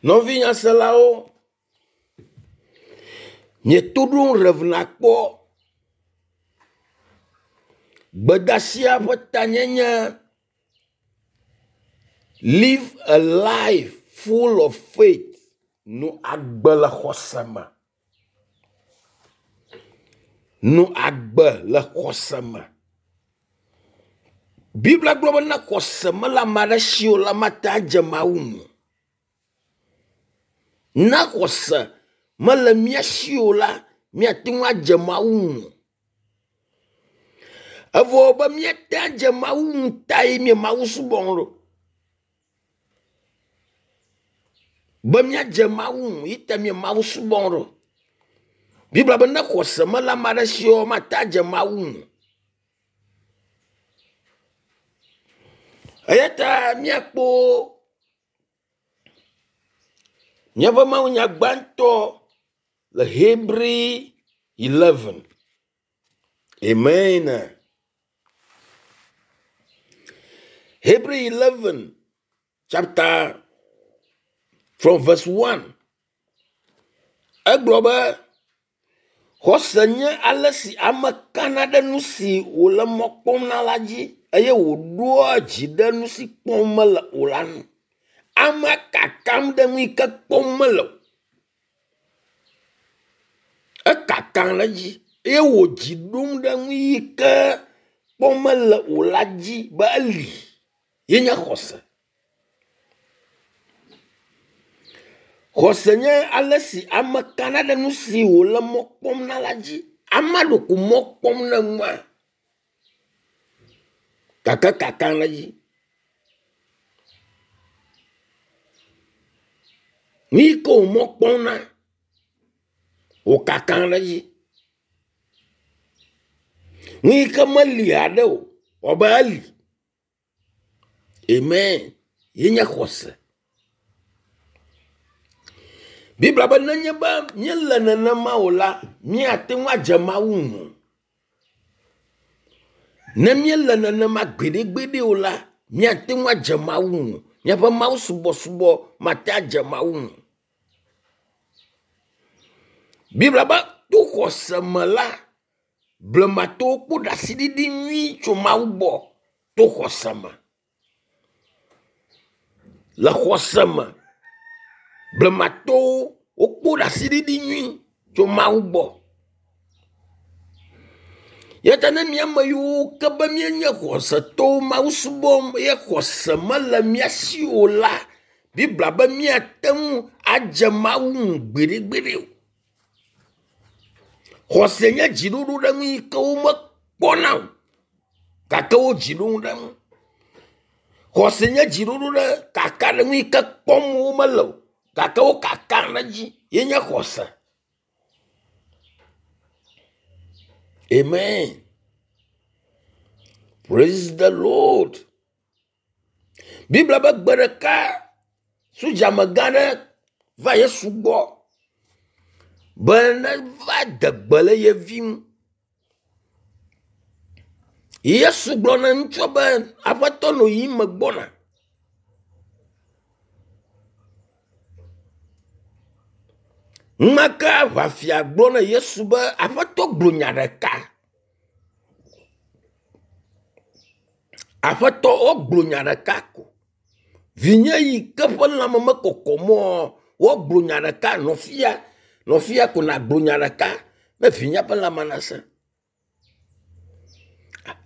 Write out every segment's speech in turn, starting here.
Nɔvi nyaselawo, mieto ɖom Rev. Akpɔ. Gbedasia ƒe tanyenye Live a life full of faith. Nɔ agbe le xɔse me. Nɔ agbe le xɔse me. Biblia gblɔ be ne xɔse mele ame aɖe si o la, mate adze Mawu ŋu. Ne xɔse mele mía si o la, míate ŋu adze Mawu ŋu. Evɔ be míate adze Mawu ŋu tae mí Mawu subɔm ɖo. Be míadze Mawu ŋu yi ta mí Mawu subɔm ɖo. Biblia be ne xɔse mele ame aɖe si o, mate adze Mawu ŋu. Eya ta míakpɔ míaƒe mawunya gbãtɔ le Hebri 11. Amen. Hebri 11 chapter from verse 1. Egblɔ be xɔse nye ale si ame kana ɖe nu si wòle mɔ kpɔm na la dzi eye wòɖoa dzi ɖe nu si kpɔm mele o la ŋu. Amea kakam ɖe nu yi ke kpɔm mele o. Ekakam ɖe edzi eye wò dzi ɖom ɖe nu yi ke kpɔm mele o la dzi be eli ye nye xɔse. Xɔse nye ale si ame kana ɖe nu si wòle mɔ kpɔm na la dzi. Amea ɖeko mɔ kpɔm na nua gake kakam ɖe edzi. Nu yi ke wò mɔ kpɔm na wò kakam ɖe edzi. Nu yi ke meli haɖe o wɔ abe eli. Amen. Ye nye xɔse. Biblia be nenye be míele nenema o la, míate ŋu adze Mawu ŋu. Ne míele nenema gbeɖegbeɖe o la, míate ŋu adze Mawu ŋu. Míaƒe Mawu subɔsubɔ mate adze Mawu ŋu. Biblia be to xɔse me la, blematɔwo kpɔ ɖaseɖiɖi nyui tso Mawu gbɔ to xɔse me. Le xɔse me, blematɔwo wokpɔ ɖaseɖiɖi nyui tso Mawu gbɔ. Eya ta ne mía ame yiwo ke be míenye xɔsetɔwo Mawu subɔm ye xɔse mele mía si o la, Biblia be míate ŋu adze Mawu ŋu gbeɖegbeɖe o. Xɔse nye dziɖoɖo ɖe nu yi ke womekpɔna o gake wo dzi ɖom ɖe ŋu. Xɔse nye dziɖoɖo ɖe kaka ɖe nu yi ke kpɔm womele o gake wo kakam ɖe edzi ye nye xɔse. Amen. Praise the Lord. Biblia be gbe ɖeka sodzamegã aɖe va Yesu gbɔ be neva de gbe le ye vi ŋu. Yesu gblɔ na ŋutsua be aƒetɔ nɔ yiyim megbɔna. Enumake aʋafia gblɔ na Yesu be aƒetɔ gblɔ nya ɖeka. Aƒetɔ wogblɔ nya ɖeka ko. Vinye yi ke ƒe lãme mekɔkɔm oa, woagblɔ nya ɖeka nɔfia nɔfia ko nagblɔ nya ɖeka ne vinye ƒe lãme nasẽ.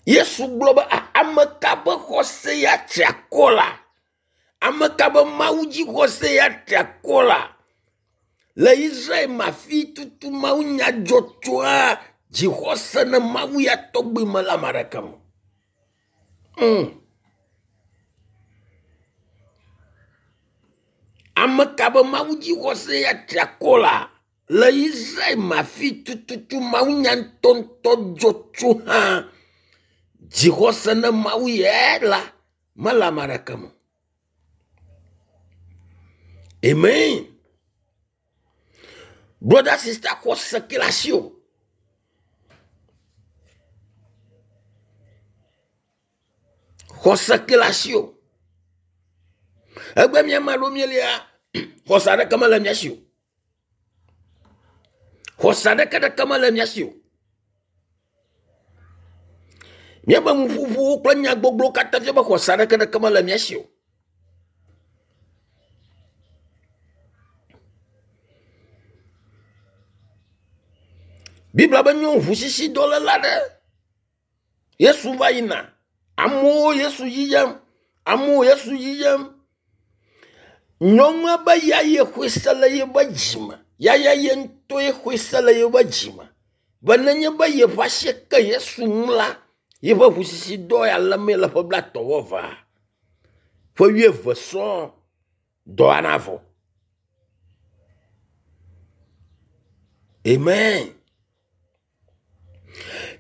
Yesu gblɔ be ame ka ƒe xɔse ya tri akɔ la? Ame ka ƒe Mawu dzixɔse ya tri akɔ la? Le Israel me afi tutu Mawu nya dzɔ tsoa dzixɔse ne Mawu ya tɔgbi me le ame aɖeke me. Ame ka be Mawu dzixɔse ya tri akɔ la? Le Israel me afi tututu Mawu nya ŋutɔŋutɔ dzɔ tso hã dzixɔse ne Mawu ya la mele ame aɖeke me. Amen. Brother, sister, xɔse ke le asiwò. Xɔse ke le asiwò. Egbe mía ame aɖewo míelia, Xɔse aɖeke mele mía si o. Xɔse aɖeke ɖeke mele mía si o. Míaƒe nuƒoƒowo kple nyagbɔgblɔwo katã fia be xɔse aɖeke ɖeke mele mía si o. Biblia be nyɔnu ʋusisidɔléla aɖe Yesu va yina. Amewo Yesu yiyem. Amewo Yesu yiyem. Nyɔnua be ya ye xɔe se le yeƒe dzime. Ya ya ye ŋutɔe xɔe se le yeƒe dzime be nenye be yeƒe asi ke Yesu ŋu la, yeƒe ʋusisidɔ ya lémee le ƒe blaetɔ̃ vɔ evea, ƒe wuieve sɔŋ dɔa navɔ. Amen.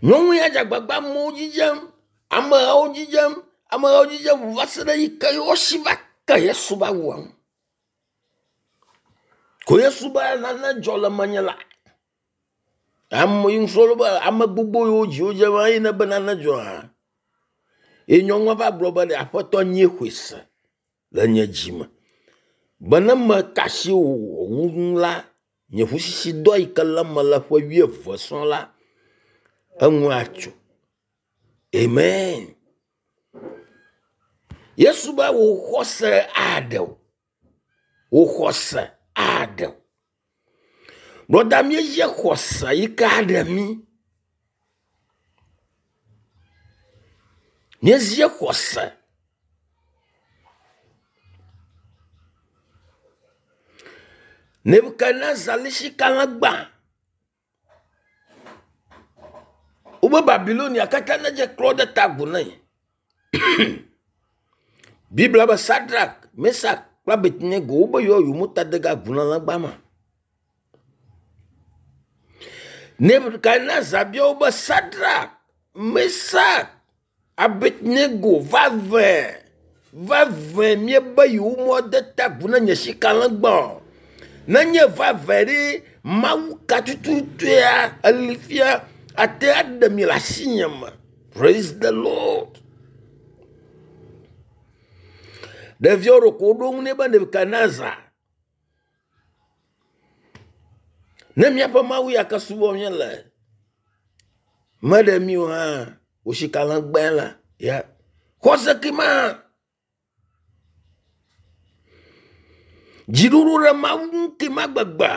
Nyɔnu ya dze agbagba amewo dzidzem, amehawo dzidzem, amehawo dzidzem va se ɖe yi ke wosi va ke Yesu va wua ŋu. Ko Yesu be nane dzɔ le menye la, ame yi ŋusrɔ̃lawo be ame gbogbo yiwo dzi wodze va eye ne be nane dzɔ hã. Ye nyɔnua va gblɔ be ɖe aƒetɔ nyee xɔe se le nye dzi me be ne meka asi wò ŋu la, Nye ʋusisidɔ yi ke lém mele ƒe wuieve sɔŋ la, enu atso. Amen. Yesu be wò xɔse aɖe wò. Wò xɔse aɖe wò. Brɔda míedze xɔse yi ke aɖe mí. Míedze xɔse. Nebukadnezar li sika legba. Wobe Babilonia katã nedze klo ɖe ta agu nɛ. Biblia be Sadrak, Mesak kple Abednego wobe yewoa yewometa de ge agu na legba ma. Nebukadnezar bia wo be Sadrak, Mesak Abednego vavẽ, vavẽ miebe yewomade ta agu na nye sikalẽgba o. Nenye vavẽ ɖe, Mawu ka tututuea eli fia ate aɖe mi le asinye me. Praise the Lord. Ɖeviawo ɖeko woɖo ŋu nɛ be Nebukadnezar. Ne míaƒe Mawu ya ke subɔm míele meɖe mí o hã, wò sikalẽgbae la, ya xɔse ke ma. Dziɖuɖu ɖe Mawu ŋu ke ma gbegbe.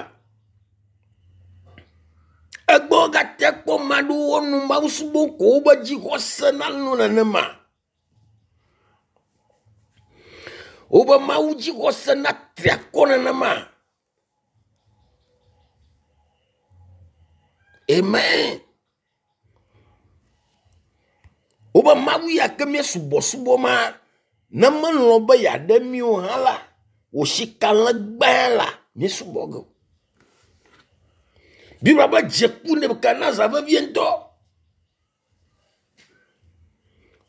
Egbɔ gate kpɔ ame aɖewo wonɔ Mawu subɔm ko wobe dzixɔse nanɔ nenema. Wobe Mawu dzixɔse natri akɔ nenema. Amen. Wobe Mawu ya ke míesubɔsubɔ ma, ne melɔ̃ be yeaɖe mí o hã la, wò sikalẽgbae la, míesubɔ ge o. Biblia be dze ku Nebukadnezar vevie ŋutɔ.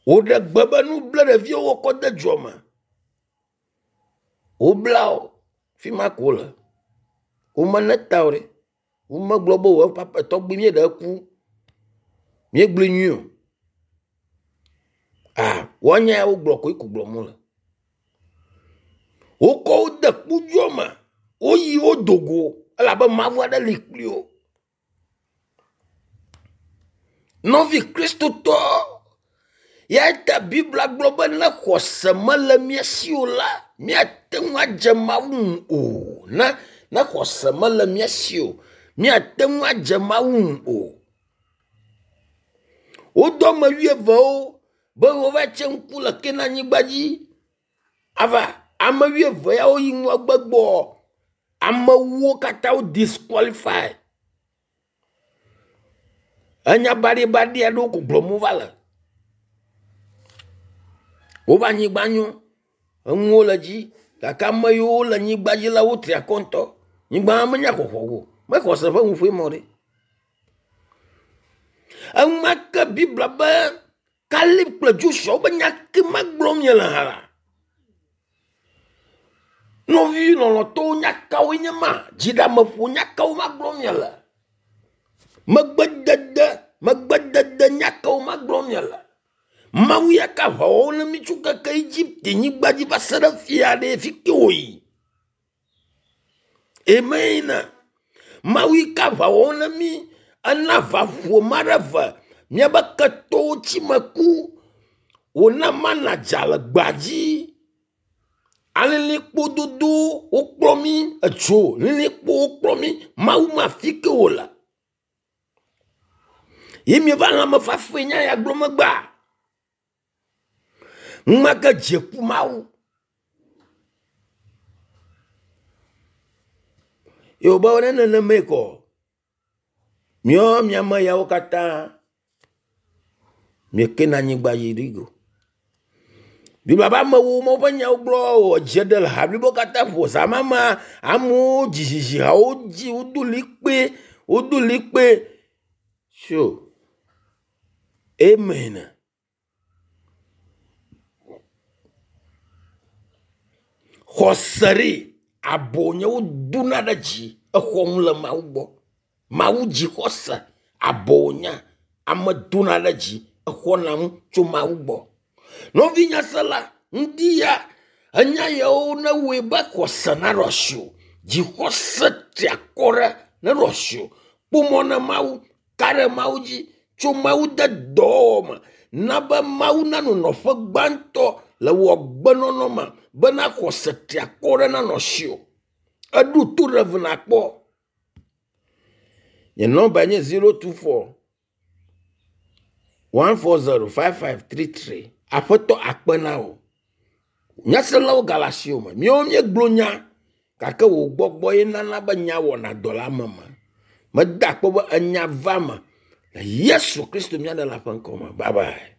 Woɖe gbe be nu ble ɖeviwo wokɔ de dzoa me. Wobla wo, fi ma ko wole. Womene ta o ɖe. Womegblɔ be o papa tɔgbui míeɖe eku. Míegblɔe nyuie o. A woanya ya wogblɔ koe ko gblɔm wole. Wokɔ wo de kpodzoa me. Woyi wo do go elabe Mawu aɖe li kpli wo. Nɔvi Kristotɔ, ya ta Biblia gblɔ be ne xɔse mele mía si o la, míate ŋu adze Mawu ŋu o. Ne ne xɔse mele mía si o, míate ŋu adze Mawu ŋu o. Wodɔ ame wuievewo be wova tse ŋku le Kanaan-nyigba dzi. Ava ame wuieve yawo yi ŋgɔgbe gbɔ amewo katã wo disqualify. Enya baɖibaɖi aɖewo ko gblɔm wova le. Woƒe anyigba nyo, enuwo le edzi gake ame yiwo le anyigba dzi la wotri akɔ ŋutɔ. Nyigba menya xɔxɔ o. Mexɔ se ƒe nuƒoe mɔ ɖe. Enumake Biblia be Kaleb kple Joshua wobe nya ke ma gblɔm miele hã la, nɔvi lɔlɔ̃tɔwo nya kawoe nye ma? Dziɖeameƒo nya kawo ma gblɔm miele? Megbedede, megbedede nya kawo ma gblɔm miele? Mawu ya ka aʋawɔwɔ na mí tso keke Egipte nyigba dzi va se ɖe fia ɖe fi ke wòyi. Amen. Mawu yi ke aʋa wɔm na mí, ena aʋa ƒo ma ɖe ve míabe ketɔwo tsi me ku. Wòna mana dza le gbea dzi. Alilikpo dodo wokplɔ mí, edzo lilikpo wokplɔ mí. Mawu ma afi ke wòle. Ye mieva lãmefafae nya ya gblɔ megbea. Numa ke dze ku Mawu. Ye wòbe ne nenemae kɔ, míawo miame yawo katã mieke na anyigba yi ɖi go. Biblia be amewo ma woƒe nyawo gblɔ wɔ dze ɖe le ha blibo katã ƒo zã ma mea, amewo dzizizi hawo dzi wodo likpe, wodo likpe. Sure. Amen. Xɔse ɖi abo nye wodona ɖe dzi exɔ nu le Mawu gbɔ. Mawu dzi xɔse abo nya ame dona ɖe dzi exɔna nu tso Mawu gbɔ. Nɔvi nyasela ŋdi ya enya yawo ne wɔe be xɔse naɖo asiwò. Dzixɔse tri akɔ ɖe neɖo asiwò. Kpɔ mɔ na Mawu, ka ɖe Mawu dzi tso Mawu de dɔwɔwɔ me. Na be Mawu nanɔ nɔƒe gbãtɔ le wò agbenɔnɔ me bena xɔse tri akɔ ɖe nanɔ asiwò. Eɖo to ɖe ve nakpɔ. Nye nɔmba nye 024 140 5533. Aƒetɔ akpe na wò. Nyaselawo gale asiwò me. Míawo míegblɔ nya gake wò gbɔgbɔ ye nana be nya wɔna dɔ le ame me. Meda akpe be enya va me le Yesu Kristo mía Ɖela ƒe ŋkɔ me. Bye bye.